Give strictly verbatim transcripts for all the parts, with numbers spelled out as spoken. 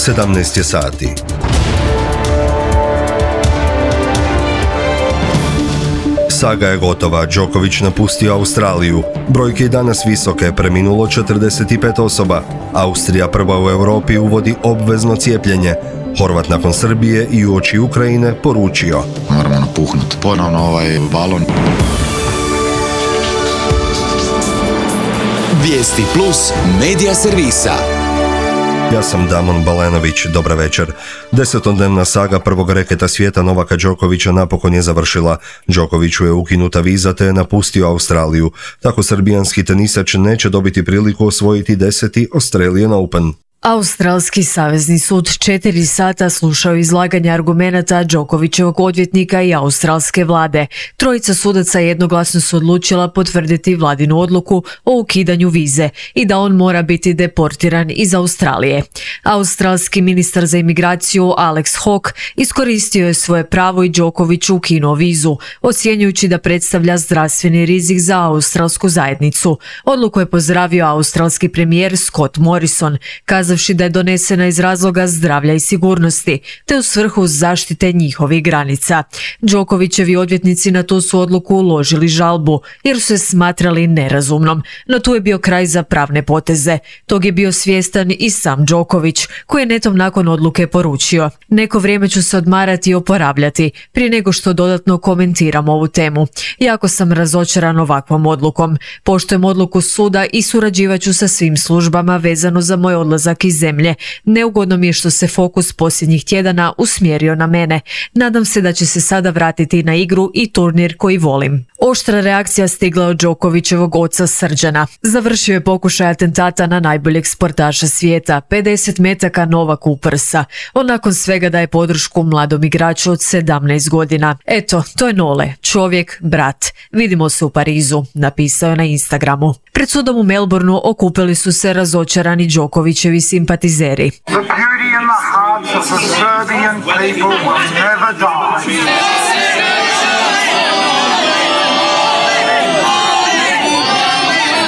sedamnaest je sati. Saga je gotova, Djokovic napustio Australiju. Brojke i danas visoke, preminulo četrdeset pet osoba. Austrija prva u Europi uvodi obvezno cijepljenje. Horvat nakon Srbije i uoči Ukrajine poručio: moramo napuhnuti ponovno ovaj balon. Vijesti plus medija servisa. Ja sam Damon Balenović, dobra večer. Desetodnevna saga prvog reketa svijeta Novaka Đokovića napokon je završila. Đokoviću je ukinuta viza te je napustio Australiju. Tako srbijanski tenisač neće dobiti priliku osvojiti deseti Australian Open. Australski savezni sud četiri sata slušao izlaganje argumenata Đokovićevog odvjetnika i australske vlade. Trojica sudaca jednoglasno su odlučila potvrditi vladinu odluku o ukidanju vize i da on mora biti deportiran iz Australije. Australski ministar za imigraciju Alex Hawke iskoristio je svoje pravo i Đokoviću ukinuo vizu, ocjenjujući da predstavlja zdravstveni rizik za australsku zajednicu. Odluku je pozdravio australski premijer Scott Morrison, kazavši da je donesena iz razloga zdravlja i sigurnosti, te u svrhu zaštite njihovih granica. Đokovićevi odvjetnici na tu su odluku uložili žalbu, jer su se smatrali nerazumnom, no tu je bio kraj za pravne poteze. Tog je bio svjestan i sam Đoković, koji je netom nakon odluke poručio: neko vrijeme ću se odmarati i oporavljati, prije nego što dodatno komentiram ovu temu. Jako sam razočaran ovakvom odlukom. Poštujem odluku suda i surađivat ću sa svim službama vezano za moj odlazak iz zemlje. Neugodno mi je što se fokus posljednjih tjedana usmjerio na mene. Nadam se da će se sada vratiti na igru i turnir koji volim. Oštra reakcija stigla od Đokovićevog oca Srđana. Završio je pokušaj atentata na najboljeg sportaša svijeta, pedeset metaka Novaku u prsa. On nakon svega daje podršku mladom igraču od sedamnaest godina. Eto, to je Nole, čovjek, brat. Vidimo se u Parizu, napisao je na Instagramu. Pred sudom u Melbourneu okupili su se razočarani Đokovićevi simpatizeri. The beauty in the hearts of the Serbian people will never die.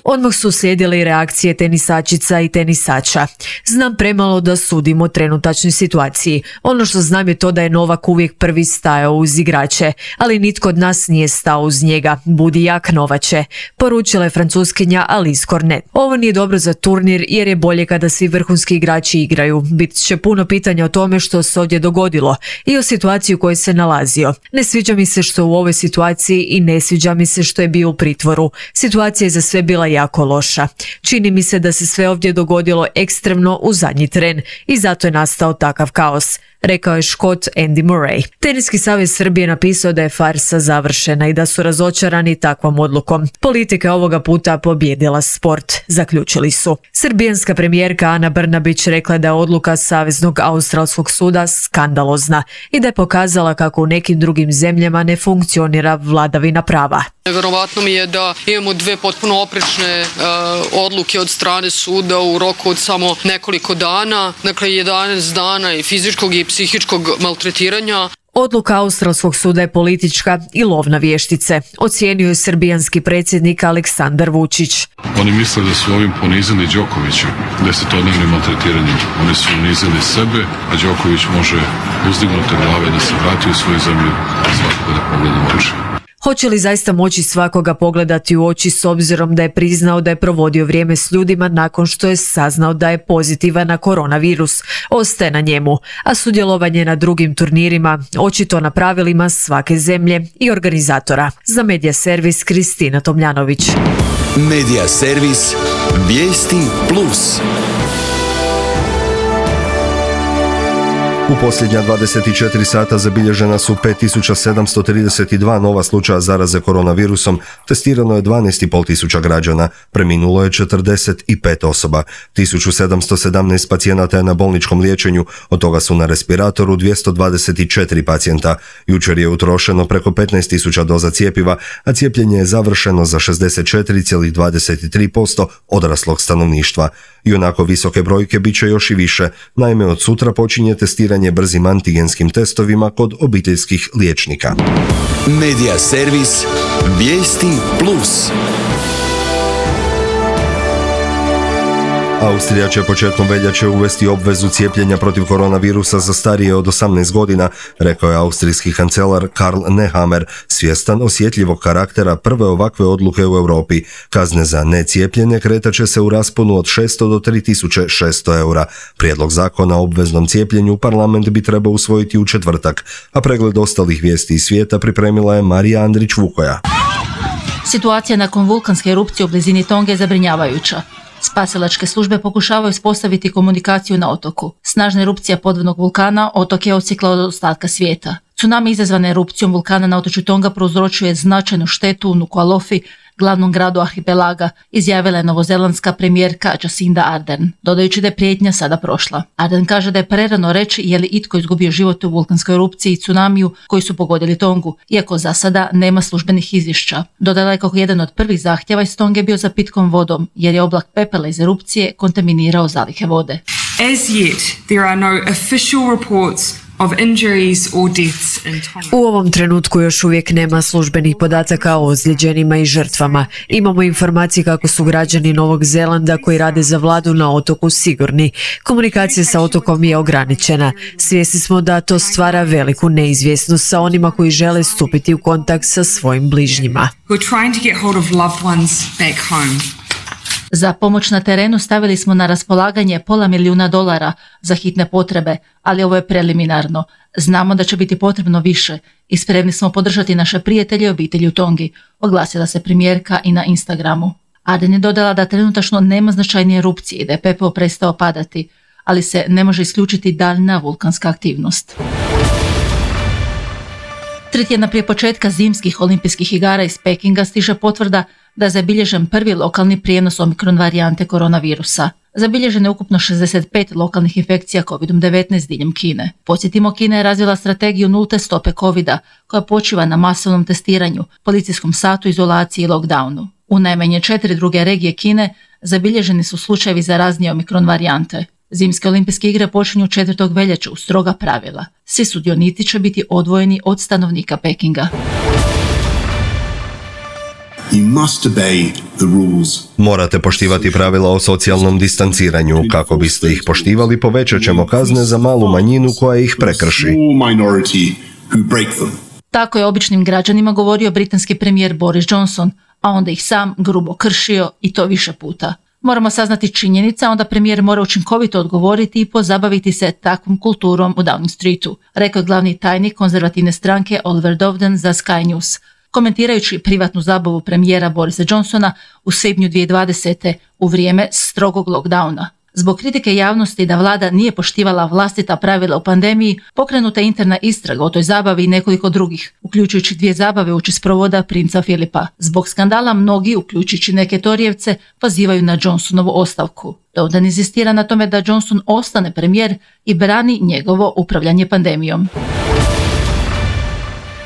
Odmah su slijedile i reakcije tenisačica i tenisača. Znam premalo da sudim o trenutačnoj situaciji. Ono što znam je to da je Novak uvijek prvi stajao uz igrače, ali nitko od nas nije stao uz njega. Budi jak, Novače, poručila je francuskinja Alice Cornet. Ovo nije dobro za turnir jer je bolje kada svi vrhunski igrači igraju. Bit će puno pitanja o tome što se ovdje dogodilo i o situaciji u kojoj se nalazio. Ne sviđa mi se što u ovoj situaciji i ne sviđa mi se što je bio u pritvoru. Situacija je za sve bila jako loša. Čini mi se da se sve ovdje dogodilo ekstremno u zadnji tren i zato je nastao takav kaos, rekao je Škot Andy Murray. Teniski savez Srbije napisao da je farsa završena i da su razočarani takvom odlukom. Politika je ovoga puta pobjedila sport, zaključili su. Srbijanska premijerka Ana Brnabić rekla je da je odluka Saveznog australskog suda skandalozna i da je pokazala kako u nekim drugim zemljama ne funkcionira vladavina prava. Nevjerovatno mi je da imamo dve potpuno oprečne uh, odluke od strane suda u roku od samo nekoliko dana, dakle jedanaest dana i fizičkog i psihičkog maltretiranja. Odluka australskog suda je politička i lov na vještice, ocijenio je srbijanski predsjednik Aleksandar Vučić. Oni misle da su ovim ponizili Đokovića desetodnevnim maltretiranjem. Oni su unizili sebe, a Đoković može uzdignute glave da se vrati u svoju zemlju i svakoga da pogleda u oči. Hoće li zaista moći svakoga pogledati u oči s obzirom da je priznao da je provodio vrijeme s ljudima nakon što je saznao da je pozitivan na koronavirus? Ostaje na njemu, a sudjelovanje na drugim turnirima očito na pravilima svake zemlje i organizatora. Za Medija servis Kristina Tomljanović. Medija servis Vijesti plus. U posljednja dvadeset četiri sata zabilježena su pet tisuća sedamsto trideset dva nova slučaja zaraze koronavirusom, testirano je dvanaest i pol tisuća građana, preminulo je četrdeset pet osoba, tisuću sedamsto sedamnaest pacijenata je na bolničkom liječenju, od toga su na respiratoru dvjesto dvadeset četiri pacijenta. Jučer je utrošeno preko petnaest tisuća doza cjepiva, a cijepljenje je završeno za šezdeset četiri zarez dvadeset tri posto odraslog stanovništva. I onako visoke brojke bit će još i više, naime od sutra počinje testiranje brzim antigenskim testovima kod obiteljskih liječnika. Medija servis Vijesti plus. Austrija će početkom veljače uvesti obvezu cijepljenja protiv koronavirusa za starije od osamnaest godina, rekao je austrijski kancelar Karl Nehammer, svjestan osjetljivog karaktera prve ovakve odluke u Europi. Kazne za necijepljenje kretat će se u rasponu od šesto do tri tisuće šesto eura. Prijedlog zakona o obveznom cijepljenju parlament bi trebao usvojiti u četvrtak, a pregled ostalih vijesti iz svijeta pripremila je Marija Andrić-Vukoja. Situacija nakon vulkanske erupcije u blizini Tonge je zabrinjavajuća. Spasilačke službe pokušavaju uspostaviti komunikaciju na otoku. Snažna erupcija podvodnog vulkana otok je odsjekla od ostatka svijeta. Tsunami izazvan erupcijom vulkana na otočju Tonga prouzročuje značajnu štetu u Nuku'alofi, glavnom gradu arhipelaga, izjavila je novozelandska premijerka Jacinda Ardern, dodajući da je prijetnja sada prošla. Ardern kaže da je prerano reći je li itko izgubio život u vulkanskoj erupciji i tsunamiju koji su pogodili Tongu, iako za sada nema službenih izvješća. Dodala je kako jedan od prvih zahtjeva iz Tonge bio za pitkom vodom, jer je oblak pepela iz erupcije kontaminirao zalihe vode. As yet, there are no official reports of injuries or deaths in Tonga. U ovom trenutku još uvijek nema službenih podataka o ozlijeđenima i žrtvama. Imamo informacije kako su građani Novog Zelanda koji rade za vladu na otoku sigurni. Komunikacija sa otokom je ograničena. Svjesni smo da to stvara veliku neizvjesnost sa onima koji žele stupiti u kontakt sa svojim bližnjima. We're trying to get hold of loved ones back home. Za pomoć na terenu stavili smo na raspolaganje pola milijuna dolara za hitne potrebe, ali ovo je preliminarno. Znamo da će biti potrebno više i spremni smo podržati naše prijatelje i obitelji u Tongi, oglasila se premijerka i na Instagramu. Ardern je dodala da trenutačno nema značajnije erupcije i da je pepeo prestao padati, ali se ne može isključiti daljna vulkanska aktivnost. Tri tjedna prije početka zimskih olimpijskih igara iz Pekinga stiže potvrda da je zabilježen prvi lokalni prijenos omikron varijante koronavirusa. Zabilježeno je ukupno šezdeset pet lokalnih infekcija kovid devetnaest diljem Kine. Podsjetimo, Kina je razvila strategiju nulte stope covida koja počiva na masovnom testiranju, policijskom satu, izolaciji i lockdownu. U najmanje četiri druge regije Kine zabilježeni su slučajevi zaraznije omikron varijante. Zimske olimpijske igre počinju četvrtog veljače uz stroga pravila. Svi sudionici će biti odvojeni od stanovnika Pekinga. You must obey the rules. Morate poštivati pravila o socijalnom distanciranju. Kako biste ih poštivali, povećat ćemo kazne za malu manjinu koja ih prekrši. Tako je običnim građanima govorio britanski premijer Boris Johnson, a onda ih sam grubo kršio i to više puta. Moramo saznati činjenice, onda premijer mora učinkovito odgovoriti i pozabaviti se takvom kulturom u Downing Streetu, rekao je glavni tajnik konzervativne stranke Oliver Dovden za Sky News, komentirajući privatnu zabavu premijera Borisa Johnsona u svibnju dvije tisuće dvadesete u vrijeme strogog lockdowna. Zbog kritike javnosti da vlada nije poštivala vlastita pravila u pandemiji, pokrenuta je interna istraga o toj zabavi i nekoliko drugih, uključujući dvije zabave uoči sprovoda princa Filipa. Zbog skandala mnogi, uključujući neke Torijevce, pozivaju na Johnsonovu ostavku. Dovden inzistira na tome da Johnson ostane premijer i brani njegovo upravljanje pandemijom.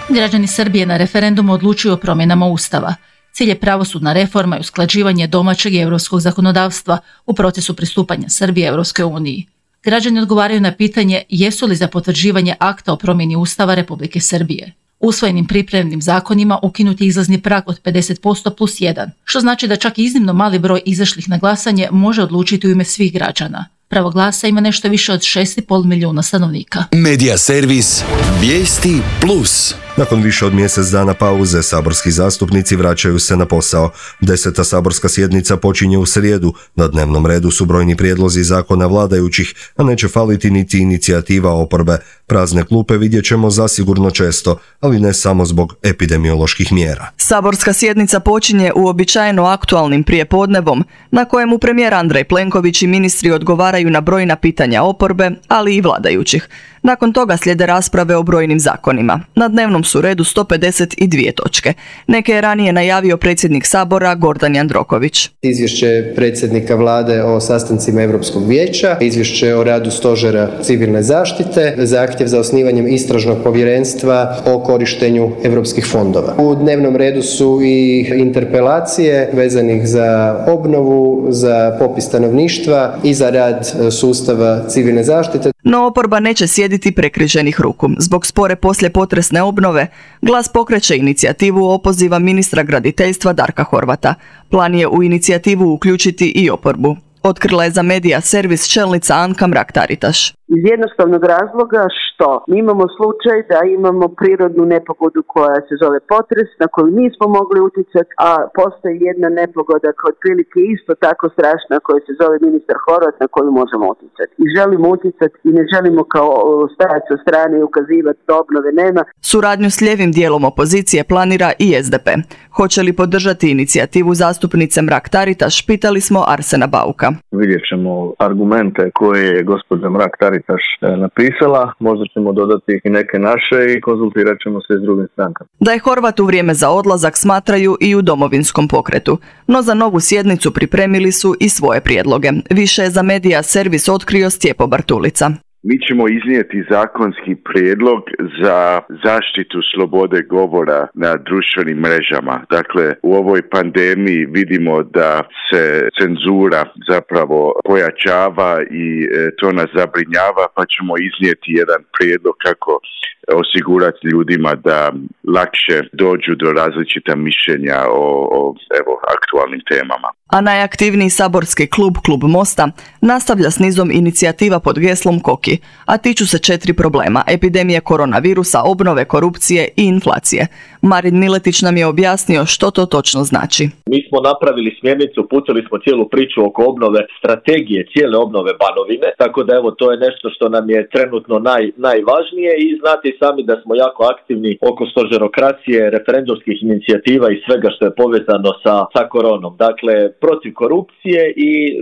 Građani Srbije na referendumu odlučuju o promjenama Ustava. Cilj je pravosudna reforma i usklađivanje domaćeg i europskog zakonodavstva u procesu pristupanja Srbije Europskoj uniji. Građani odgovaraju na pitanje jesu li za potvrđivanje akta o promjeni Ustava Republike Srbije. Usvojenim pripremnim zakonima ukinut je izlazni prag od pedeset posto plus jedan, što znači da čak iznimno mali broj izašlih na glasanje može odlučiti u ime svih građana. Pravo glasa ima nešto više od šest i pol milijuna stanovnika. Medija servis Vijesti plus. Nakon više od mjesec dana pauze, saborski zastupnici vraćaju se na posao. Deseta saborska sjednica počinje u srijedu. Na dnevnom redu su brojni prijedlozi zakona vladajućih, a neće faliti niti inicijativa oporbe. Prazne klupe vidjet ćemo zasigurno često, ali ne samo zbog epidemioloških mjera. Saborska sjednica počinje uobičajeno aktualnim prijepodnevom, na kojemu premijer Andrej Plenković i ministri odgovaraju na brojna pitanja oporbe, ali i vladajućih. Nakon toga slijede rasprave o brojnim zakonima. Na dnevnom su redu sto pedeset dvije točke. Neke je ranije najavio predsjednik Sabora Gordan Jandroković. Izvješće predsjednika vlade o sastancima Europskog vijeća, izvješće o radu stožera civilne zaštite, zahtjev za osnivanjem istražnog povjerenstva o korištenju europskih fondova. U dnevnom redu su i interpelacije vezanih za obnovu, za popis stanovništva i za rad sustava civilne zaštite. No oporba neće sjediti prekriženih ruku. Zbog spore poslijepotresne obnove, Glas pokreće inicijativu opoziva ministra graditeljstva Darka Horvata. Plan je u inicijativu uključiti i oporbu. Otkrila je za Medija servis čelnica Anka Mrak-Taritaš. Iz jednostavnog razloga što mi imamo slučaj da imamo prirodnu nepogodu koja se zove potres, na koju nismo mogli utjecati, a postoji jedna nepogoda koja otprilike isto tako strašna koja se zove ministar Horvat na koju možemo utjecati. I želimo utjecati i ne želimo kao stajati sa strane i ukazivati da obnove nema. Suradnju s lijevim dijelom opozicije planira i es de pe. Hoće li podržati inicijativu zastupnice Mrak-Taritaš, pitali smo Arsena Bauka. Vidjet ćemo argumente koje je gospođa Mrak-Taritaš napisala, možda ćemo dodati i neke naše i konzultirat ćemo se s drugim strankama. Da je Horvat u vrijeme za odlazak smatraju i u Domovinskom pokretu, no za novu sjednicu pripremili su i svoje prijedloge. Više je za Medija servis otkrio Stjepo Bartulica. Mi ćemo iznijeti zakonski prijedlog za zaštitu slobode govora na društvenim mrežama. Dakle, u ovoj pandemiji vidimo da se cenzura zapravo pojačava i to nas zabrinjava, pa ćemo iznijeti jedan prijedlog kako osigurati ljudima da lakše dođu do različita mišljenja o, o evo, aktualnim temama. A najaktivniji saborski klub, Klub Mosta, nastavlja s nizom inicijativa pod geslom Koki, a tiču se četiri problema: epidemije koronavirusa, obnove, korupcije i inflacije. Marin Miletić nam je objasnio što to točno znači. Mi smo napravili smjernicu, putili smo cijelu priču oko obnove, strategije cijele obnove Banovine, tako da evo to je nešto što nam je trenutno naj, najvažnije i znate sami da smo jako aktivni oko stožerokracije, referendumskih inicijativa i svega što je povezano sa, sa koronom. Dakle, protiv korupcije i e,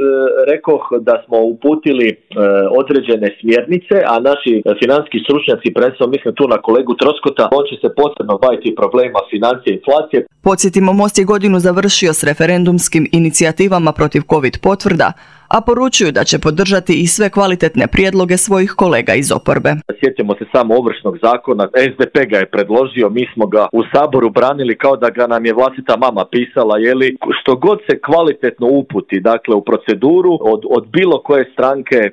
rekoh da smo uputili e, određene smjernice, a naši financijski stručnjaci, prvenstveno mislim tu na kolegu Troskota, on će se posebno baviti problema financije i inflacije. Podsjetimo, Most je godinu završio s referendumskim inicijativama protiv COVID potvrda, a poručuju da će podržati i sve kvalitetne prijedloge svojih kolega iz oporbe. Sjetimo se samo Ovršnog zakona, es de pe ga je predložio, mi smo ga u Saboru branili kao da ga nam je vlastita mama pisala, jeli, što god se kvalitetno uputi, dakle u proceduru od, od bilo koje stranke e,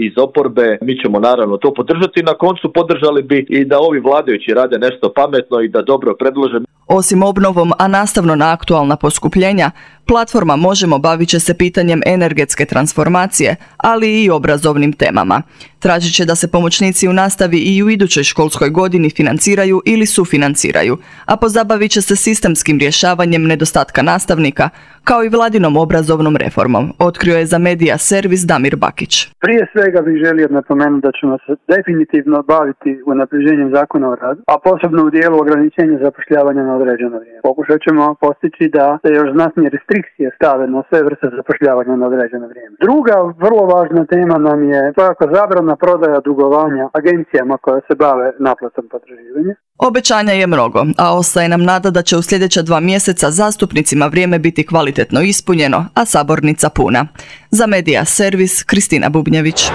iz oporbe, mi ćemo naravno to podržati. Na koncu podržali bi i da ovi vladajući rade nešto pametno i da dobro predlože. Osim obnovom, a nastavno na aktualna poskupljenja, platforma Možemo bavit će se pitanjem energetske transformacije, ali i obrazovnim temama. Tražit će da se pomoćnici u nastavi i u idućoj školskoj godini financiraju ili sufinanciraju, a pozabavit će se sistemskim rješavanjem nedostatka nastavnika, kao i vladinom obrazovnom reformom, otkrio je za Medija servis Damir Bakić. Prije svega bih želio napomenuti da ćemo se definitivno baviti unapređenjem zakona o radu, a posebno u dijelu ograničenja zapošljavanja na određeno vrijeme. Pokušat ćemo postići da se još znatnije restrikcije stave na sve vrste zapošljavanja na određeno vrijeme. Druga vrlo važna tema nam je svakako zabrana prodaja dugovanja agencijama koje se bave naplatom potraživanja. Obećanja je mnogo, a ostaje nam nada da će u sljedeća dva mjeseca zastupnicima vrijeme biti kvalitetno ispunjeno, a sabornica puna. Za Medija servis Kristina Bubnjević.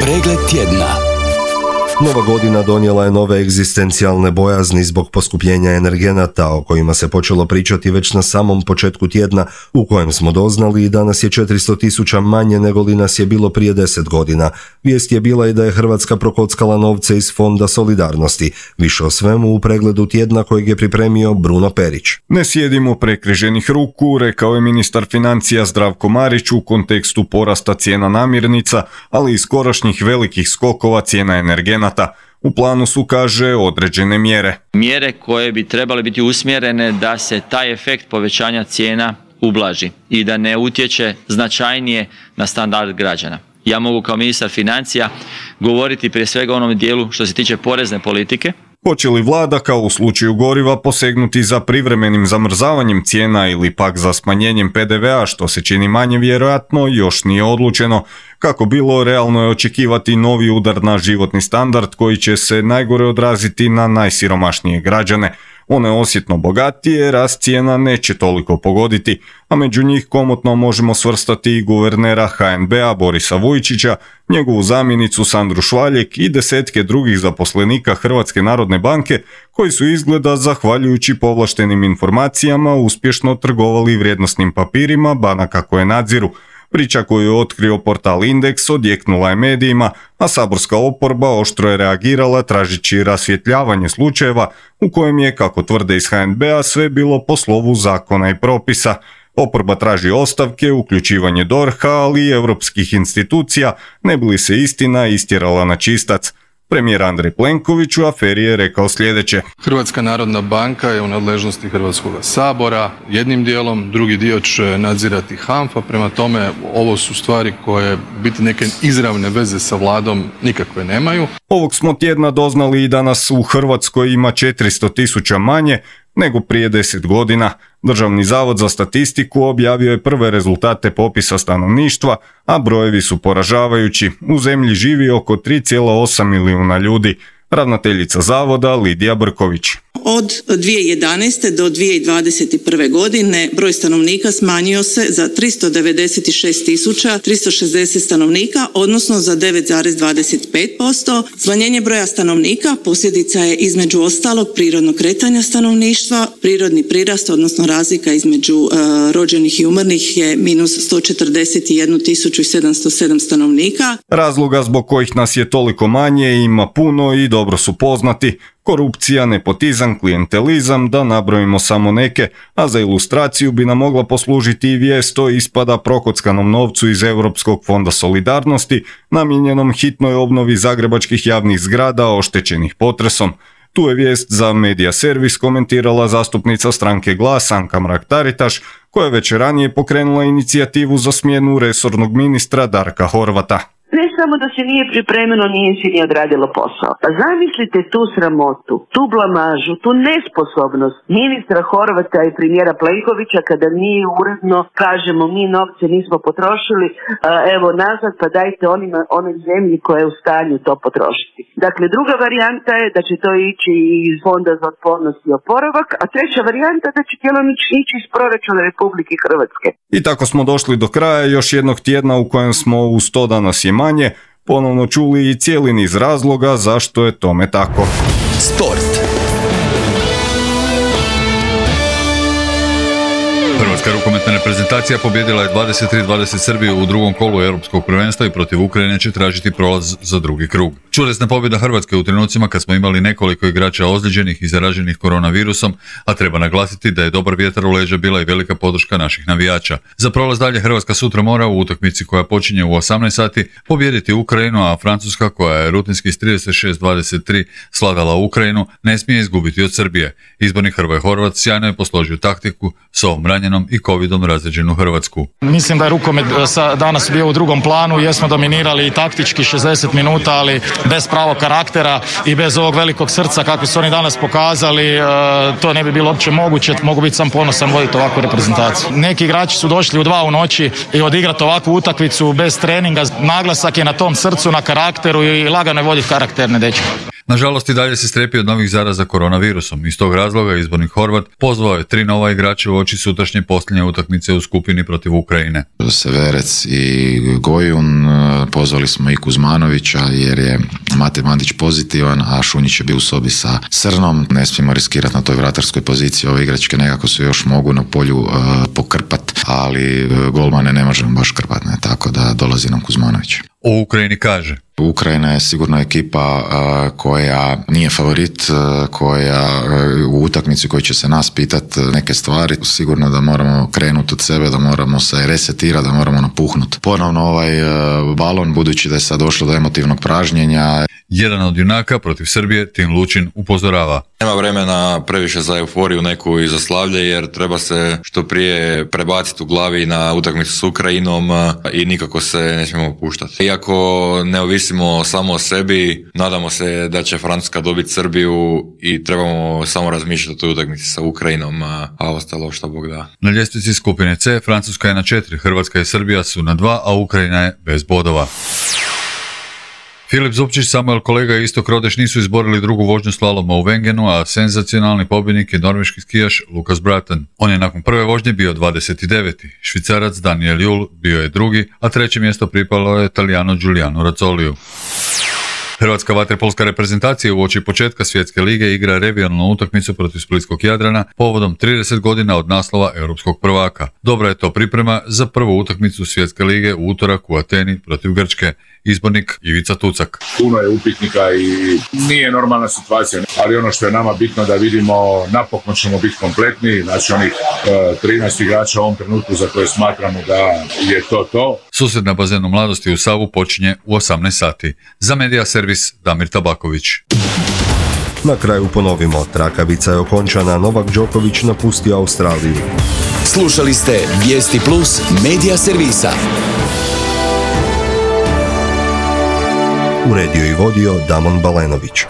Pregled tjedna. Nova godina donijela je nove egzistencijalne bojazni zbog poskupljenja energenata o kojima se počelo pričati već na samom početku tjedna, u kojem smo doznali i danas je četiristo tisuća manje nego li nas je bilo prije deset godina. Vijest je bila i da je Hrvatska prokockala novce iz Fonda solidarnosti. Više o svemu u pregledu tjedna kojeg je pripremio Bruno Perić. Ne sjedimo prekriženih ruku, rekao je ministar financija Zdravko Marić u kontekstu porasta cijena namirnica, ali i skorašnjih velikih skokova cijena energenata. U planu su, kaže, određene mjere. Mjere koje bi trebale biti usmjerene da se taj efekt povećanja cijena ublaži i da ne utječe značajnije na standard građana. Ja mogu kao ministar financija govoriti prije svega o onom dijelu što se tiče porezne politike. Hoće li vlada, kao u slučaju goriva, posegnuti za privremenim zamrzavanjem cijena ili pak za smanjenjem pe de ve a, što se čini manje vjerojatno, još nije odlučeno. Kako bilo, realno je očekivati novi udar na životni standard koji će se najgore odraziti na najsiromašnije građane. One osjetno bogatije rast cijena neće toliko pogoditi, a među njih komotno možemo svrstati i guvernera ha en be a Borisa Vujčića, njegovu zamjenicu Sandru Švaljek i desetke drugih zaposlenika Hrvatske narodne banke koji su izgleda, zahvaljujući povlaštenim informacijama, uspješno trgovali vrijednosnim papirima banaka koje nadziru. Priča koju je otkrio portal Indeks odjeknula je medijima, a saborska oporba oštro je reagirala tražići rasvjetljavanje slučajeva u kojem je, kako tvrde iz ha en be a, sve bilo po slovu zakona i propisa. Oporba traži ostavke, uključivanje D O R H-a, ali i europskih institucija, ne bi li se istina istjerala na čistac. Premijer Andrej Plenković u aferi je rekao sljedeće. Hrvatska narodna banka je u nadležnosti Hrvatskog sabora jednim dijelom, drugi dio će nadzirati HANFA, prema tome ovo su stvari koje biti neke izravne veze sa vladom nikakve nemaju. Ovog smo tjedna doznali i danas u Hrvatskoj ima četiristo tisuća manje nego prije deset godina. Državni zavod za statistiku objavio je prve rezultate popisa stanovništva, a brojevi su poražavajući. U zemlji živi oko tri zarez osam milijuna ljudi. Ravnateljica zavoda Lidija Brković. Od dvije tisuće jedanaeste do dvije tisuće dvadeset prve. godine broj stanovnika smanjio se za tristo devedeset šest tisuća tristo šezdeset stanovnika, odnosno za devet zarez dvadeset pet posto. Smanjenje broja stanovnika posljedica je između ostalog prirodnog kretanja stanovništva. Prirodni prirast, odnosno razlika između uh, rođenih i umrlih je minus sto četrdeset jednu tisuću sedamsto sedam stanovnika. Razloga zbog kojih nas je toliko manje ima puno i dobro su poznati. Korupcija, nepotizam, klijentelizam, da nabrojimo samo neke, a za ilustraciju bi nam mogla poslužiti i vijest o ispada prokockanom novcu iz Europskog fonda solidarnosti, namijenjenom hitnoj obnovi zagrebačkih javnih zgrada oštećenih potresom. Tu je vijest za Medija Servis komentirala zastupnica stranke Glas Anka Mrak-Taritaš, koja je već ranije pokrenula inicijativu za smjenu resornog ministra Darka Horvata. Ne samo da se nije pripremilo, nije se ni odradilo posao. Pa zamislite tu sramotu, tu blamažu, tu nesposobnost ministra Horvata i premijera Plenkovića kada mi uredno kažemo mi novce nismo potrošili, evo nazad pa dajte onima, onoj zemlji koja je u stanju to potrošiti. Dakle, druga varijanta je da će to ići iz Fonda za otpornost i oporavak, a treća varijanta da će djelomično ići iz proračuna Republike Hrvatske. I tako smo došli do kraja još jednog tjedna u kojem smo u sto danas je manje ponovno čuli i cijeli niz razloga zašto je tome tako. Sport. Hrvatska rukometna reprezentacija pobjedila je dvadeset tri dvadeset Srbiju u drugom kolu europskog prvenstva i protiv Ukrajine će tražiti prolaz za drugi krug. Čudesna pobjeda Hrvatske u trenucima kad smo imali nekoliko igrača ozlijeđenih i zaraženih koronavirusom, a treba naglasiti da je dobar vjetar u leđa bila i velika podrška naših navijača. Za prolaz dalje Hrvatska sutra mora u utakmici koja počinje u osamnaest sati pobijediti Ukrajinu, a Francuska, koja je rutinski s trideset šest dvadeset tri sladala Ukrajinu, ne smije izgubiti od Srbije. Izbornik Hrvoje Horvat sjajno je posložio taktiku s ovom ranjenom i covidom razređenu Hrvatsku. Mislim da je rukomet danas bio u drugom planu, jesmo dominirali i taktički šezdeset minuta, ali bez pravog karaktera i bez ovog velikog srca kako su oni danas pokazali, to ne bi bilo uopće moguće. Mogu biti sam ponosan voditi ovakvu reprezentaciju. Neki igrači su došli u dva u noći i odigrati ovakvu utakmicu bez treninga. Naglasak je na tom srcu, na karakteru i lagano je voditi karakterne dečke. Nažalost i dalje se strepi od novih zaraza koronavirusom. Iz tog razloga izbornik Horvat pozvao je tri nova igrača u oči sutrašnje posljednje utakmice u skupini protiv Ukrajine. Severec i Gojun, pozvali smo i Kuzmanovića jer je Mate Mandić pozitivan, a Šunjić je bio u sobi sa Srnom. Ne smijemo riskirati na toj vratarskoj poziciji, ove igračke nekako se još mogu na polju uh, pokrpat, ali golmane ne možemo baš krpati, ne, tako da dolazi nam Kuzmanović. O Ukrajini kaže: Ukrajina je sigurno ekipa uh, koja nije favorit, uh, koja uh, u utakmici koji će se nas pitati neke stvari. Sigurno da moramo krenuti od sebe, da moramo se resetirati, da moramo napuhnuti ponovno ovaj uh, balon, budući da je sad došlo do emotivnog pražnjenja. Jedan od junaka protiv Srbije, Tin Lučin, upozorava: nema vremena previše za euforiju neku i za slavlje, jer treba se što prije prebaciti u glavi na utakmicu s Ukrajinom i nikako se ne smijemo opuštati. Iako ne ovisimo samo o sebi, nadamo se da će Francuska dobiti Srbiju i trebamo samo razmišljati o toj utakmici sa Ukrajinom, a ostalo što Bog da. Na ljestvici skupine C Francuska je na četiri, Hrvatska i Srbija su na dva, a Ukrajina je bez bodova. Filip Zupčić, Samuel Kolega i Istok Rodeš nisu izborili drugu vožnju slaloma u Wengenu, a senzacionalni pobjednik je norveški skijaš Lukas Braten. On je nakon prve vožnje bio dvadeset deveti Švicarac Daniel Jul bio je drugi, a treće mjesto pripalo je Italijanu Giuliano Razzoliju. Hrvatska vaterpolska reprezentacija uoči početka svjetske lige igra regionalnu utakmicu protiv Splitskog Jadrana povodom trideset godina od naslova europskog prvaka. Dobra je to priprema za prvu utakmicu svjetske lige u utorak u Ateni protiv Grčke. Izbornik Ivica Tucak. Puno je upitnika i nije normalna situacija, ali ono što je nama bitno da vidimo, napokon ćemo biti kompletni, znači onih uh, trinaest igrača u ovom trenutku za koje smatramo da je to to. Susret na bazenu Mladosti u Savu počinje u osamnaest sati. Za Medija servis Damir Tabaković. Na kraju ponovimo, trakavica je okončana, Novak Đoković napustio Australiju. Slušali ste Vijesti Plus Medija servisa. Uredio i vodio Damon Balenović.